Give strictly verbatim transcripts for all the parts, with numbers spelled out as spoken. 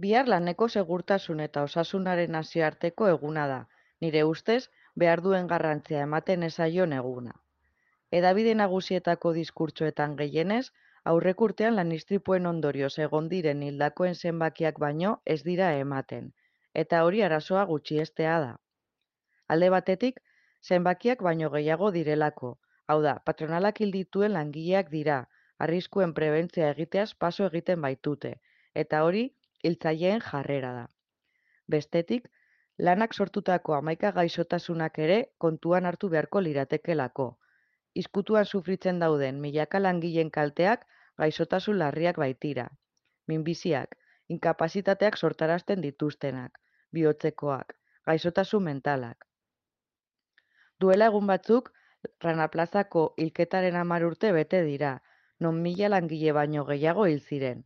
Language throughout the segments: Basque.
Bihar laneko segurtasun eta osasunaren nazioarteko eguna da. Nire ustez, behar duen garrantzia ematen ez zaion eguna. Hedabide nagusietako diskurtsoetan gehienez, aurreko urtean lan-istripuen ondorioz egon diren hildakoen zenbakiak baino ez dira ematen, eta hori arazoa gutxiestea da. Alde batetik, zenbakiak baino gehiago direlako, hau da, patronalak hil dituen langileak dira, arriskuen prebentzia egiteaz paso egiten baitute, eta hori hiltzaileen jarrera da. Bestetik, lanak sortutako hamaika gaixotasunak ere kontuan hartu beharko liratekelako. Izkutuan sufritzen dauden milaka langileen kalteak gaixotasun larriak baitira. Minbiziak, inkapazitateak sortarazten dituztenak, bihotzekoak, gaixotasun mentalak. Duela egun batzuk, Rana Plazako hilketaren hamar urte bete dira, non mila langile baino gehiago hil ziren.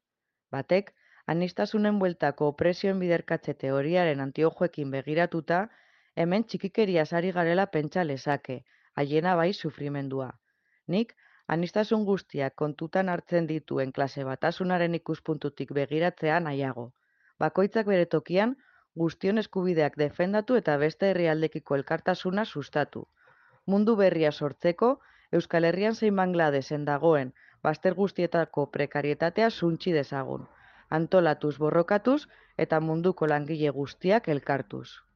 Batek, aniztasunen bueltako opresioen biderkatze teoriaren antiojoekin begiratuta, hemen txikikeriaz ari garela pentsa lezake, haiena bai sufrimendua. Nik, aniztasun guztiak kontutan hartzen dituen klase batasunaren ikuspuntutik begiratzea nahiago. Bakoitzak bere tokian, guztion eskubideak defendatu eta beste herrialdekiko elkartasuna sustatu. Mundu berria sortzeko, Euskal Herrian zein Bangladesen dagoen bazter guztietako prekarietatea suntsi dezagun, antolatuz borrokatuz eta munduko langile guztiak elkartuz.